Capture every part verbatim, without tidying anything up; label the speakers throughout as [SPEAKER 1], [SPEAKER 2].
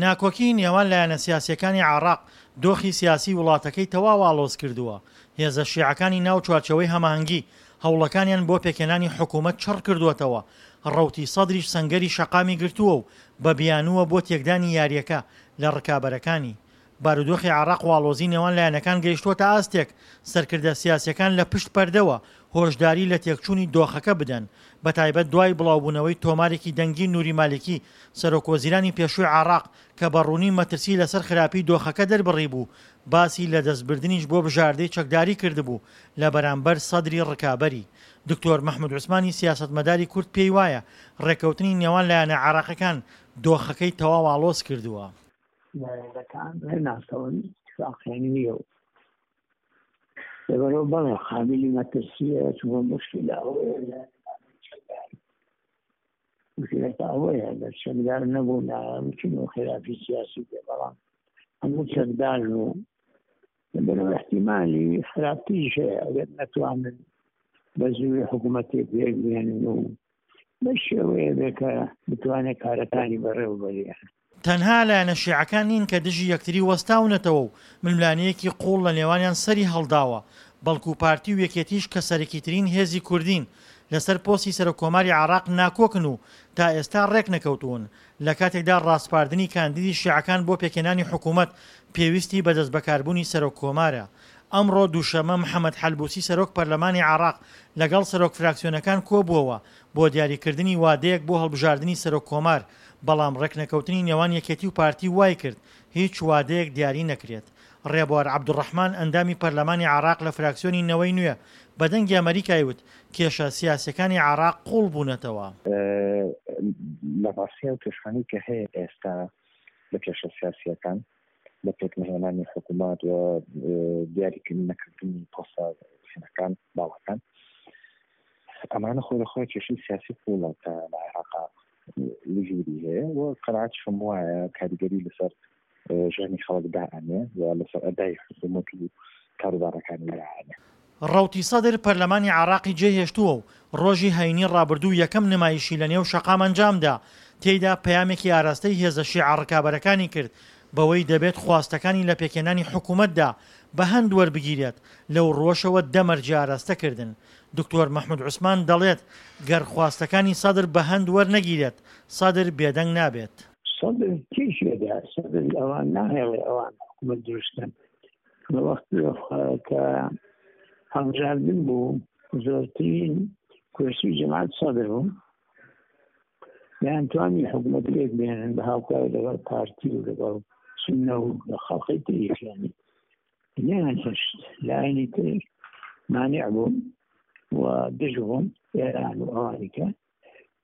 [SPEAKER 1] ناکۆکیی نێوان لایەنە سیاسییەکانی عێراق دۆخی سیاسیی وڵاتەکەی تەواو ئاڵۆز کردووە، هێزە شیعەکانی ناو چوارچێوەی هەماهەنگی هەوڵەکانیان بۆ پێکهێنانی حکوومەت چڕ کردووەتەوە، ڕەوتی سەدریش سەنگەری شەقامی گرتووە و بە بیانووە بۆ تێکدانی یارییەکە لە ڕکابەرەکانی. بارودۆخی عێراق و ئاڵۆزی نێوان لایەنەکان گەیشتووەتە ئاستێک سەرکردە سیاسییەکان لە پشت پەردەوە هۆشداری لە تێکچوونی دۆخەکە بدەن، بەتایبەت دوای بڵاوبوونەوەی تۆمارێکی دەنگی نوری مالیکی سەرۆکوەزیرانی پێشووی عێراق کە بە ڕوونی مەترسی لەسەر خراپی دۆخەکە دەربڕیبوو، باسی لە دەستبردنیش بۆ بژاردەی چەکداری کردبوو لە بەرامبەر سەدری ڕکابەری. دکتۆر مەحمود عوسمانی سیاسەتمەداری کورد پێی وایە ڕێککەوتنی نێوان لایەنە عێراقیەکان دۆخەکەی تەواو ئاڵۆز کردووە.
[SPEAKER 2] لایەنەکان ڕێناکەون، ئیتفاقیان نییە و لەبەرەوە بەڵێ قابلی مەترسیە، چونکە مشکلە ئەوەیە لە چەکدار، مشکلەکە ئەوەیە لە چەکدار نەبوو ناچون و خلافی سیاسی بێ، بەڵام هەموو چەکدارن و لەبەرەوە احتیمالی خراپتریش هەیە ئەگەر نەتوانن بە زووی حکوومەتێک پێک بێنن و بە شێوەیە بێ کە بتوانێت کارەکانی بەڕێوە بەرێ.
[SPEAKER 1] تەنها لایەنە شیعەکان نین کە دژی یەکتری وەستاونەتەوە و ململانێیەکی قووڵ لە نێوانیان سەری هەڵداوە، بەڵکو پارتی و یەکێتیش کە سەرەکیترین هێزی کوردین لەسەر پۆستی سەرۆک کۆماری عێراق ناکۆکن و تا ئێستا ڕێکنەکەوتوون، لە کاتێکدا ڕاسپاردنی کاندیدی شیعەکان بۆ پێکهێنانی حکوومەت پێویستی بە دەستبەکاربوونی سەرۆک کۆمارە. ئەمڕۆ دووشەممە محەمەد حەلبوسی سەرۆک پەرلەمانی عێراق لەگەڵ سەرۆک فراکسیۆنەکان کۆبووەوە بۆ دیاریکردنی وادەیەک بۆ هەڵبژاردنی سەرۆک کۆمار، بەڵام ڕێکنەکەوتنی نێوان یەکێتی و پارتی وایکرد هیچ وادەیەک دیاری نەکرێت. ڕێبوار عەبدولڕەحمان ئەندامی پەرلەمانی عێراق لە فراکسیۆنی نەوەی نوێ بە دەنگی ئەمەریکای وت کێشە سیاسیەکانی عێراق قوڵ بوونەتەوە.
[SPEAKER 3] لە ڕاستیا و کێشانەی کە هەیە ئێستا لە کێشە سیاسیەکان لە پێکنەهێنانی حکوومەت و دیاریکردن نەکردنی پۆستە هێنەکان باڵەکان ئەمانە خۆی لە خۆی کێشەی سیاسی قوڵە کە لە عێراقا وجودی هەیە و قەناعەتیشم وایە کاریگەری لەسەر ژیانی خەڵک دائەنێ و لەسەر ئەدای حکوومەت و کاروبارەکانی دائەنێ.
[SPEAKER 1] ڕەوتی سەدر پەرلەمانی عێراقی جێهێشتووە و ڕۆژی هەینی ڕابردوو یەکەم نمایشی لەنێو شەقام ئەنجامدا، تێیدا پەیامێکی ئاراستەی هێزە شیعە ڕکابەرەکانی کرد بەوەی دەبێت خواستەکانی لە پێکهێنانی حکومەتدا بە هەند وەربگیرێت، لەو ڕووەشەوە دە مەرجی ئاراستە کردن. دکتۆر مەحمود عوسمان دەڵێت گەر خواستەکانی سەدر بە هەند وەرنەگیرێت، سەدر بێدەنگ نابێت.
[SPEAKER 2] سەدر تێکیەدا، سەدر ئەوان ناهێڵێ ئەوان حکومەت دروست کەن. لە وەختی کە هەڵبژاردن بوو زۆرترین کورسی جەماعەت سەدر بوو، دەیانتوانی حکومەت پێک بێنن بە هاوکاری لەگەڵ پارتی و لەگەڵ سوننە و لە خەڵقی تریش، یانی نەیان هێشت لایەنی تر مانع بوون و دژ بوون ئێران و ئەوانی کە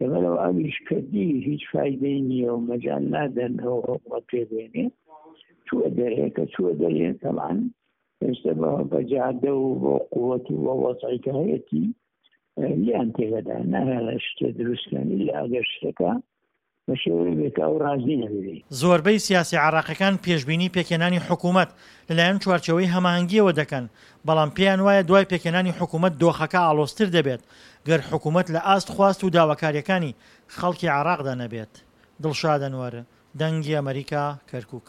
[SPEAKER 2] لەبەرەوە ئەویش کردی هیچ فایدەی نییە و مەجال نادەن ئەو حکومەت پێ بێنێ، چووە دەرێ کە چووە دەرێ تەبعەن ئێستا بە جادە و بۆ قووەت و بۆ وەزعی کە هەیەتی لیان تێگەدا ناهێڵێ شتێ دروستکەن ئیلا ئەگەر شتەکە بە شێوەیەک بێت کە ئەو ڕازی نەبێ.
[SPEAKER 1] زۆربەی سیاسیە عێراقیەکان پێشبینی پێکهێنانی حکومەت لەلایەن چوارچێوەی هەماهەنگیەوە دەکەن، بەڵام پێیان وایە دوای پێکهێنانی حکومەت دۆخەکە ئاڵۆزتر دەبێت گەر حکومەت لە ئاست خواست و داواکاریەکانی خەڵکی عێراقدا نەبێت. دڵشاد ئەنوەر، دەنگی ئەمەریکا، کەرکوک.